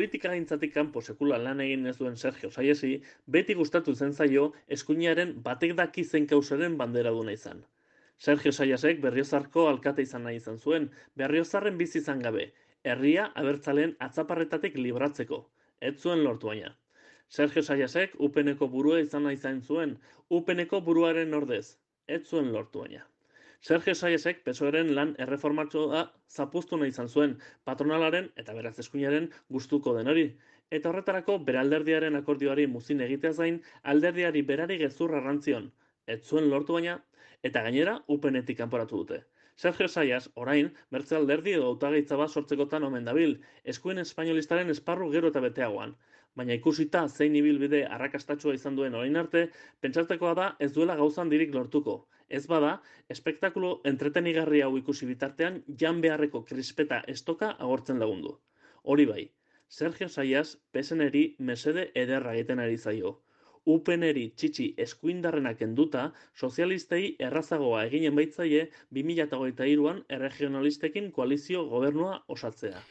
Politikagintzatik kanpo sekula lan egin ez duen Sergio Saiesi, beti gustatu zen zaio eskuinaren batek daki zein kausaren banderaduna izan. Sergio Saiasek Berriozarko alkate izan nahi izan zuen, Berriozarren bizi izan gabe, herria abertzaleen atzaparretatik libratzeko. Ez zuen lortu baina. Sergio Saiasek UPNeko burua izan nahi izan zuen, UPNeko buruaren ordez. Ez zuen lortu baina. Sergio Saiasek PSOEren lan erreformatxoa zapuztu nahi izan zuen, patronalaren eta beraz eskuinaren gustuko den hori. Eta horretarako bere alderdiaren akordioari muzin egiteaz gain, alderdiari berari gezurra rantzion. Ez zuen lortu baina, eta gainera UPNetik kanporatu dute. Sergio Saias, orain, bertze alderdi edo hautagaitza bat sortzekotan omen dabil, eskuin espainolistaren esparru gero eta beteagoan. Baina ikusita zein ibilbide arrakastatsua izan duen orain arte, pentsatzekoa da ez duela gauza handirik lortuko. Ez bada, espektakulo entretenigarri hau ikusi bitartean jan beharreko krispeta estoka agortzen lagundu. Hori bai, Sergio Saias PSNeri mesede ederra egiten ari zaio. UPNeri txitsi eskuindarrenak kenduta, sozialistei errazagoa eginen baitzaie 2023an erregionalistekin koalizio gobernua osatzea.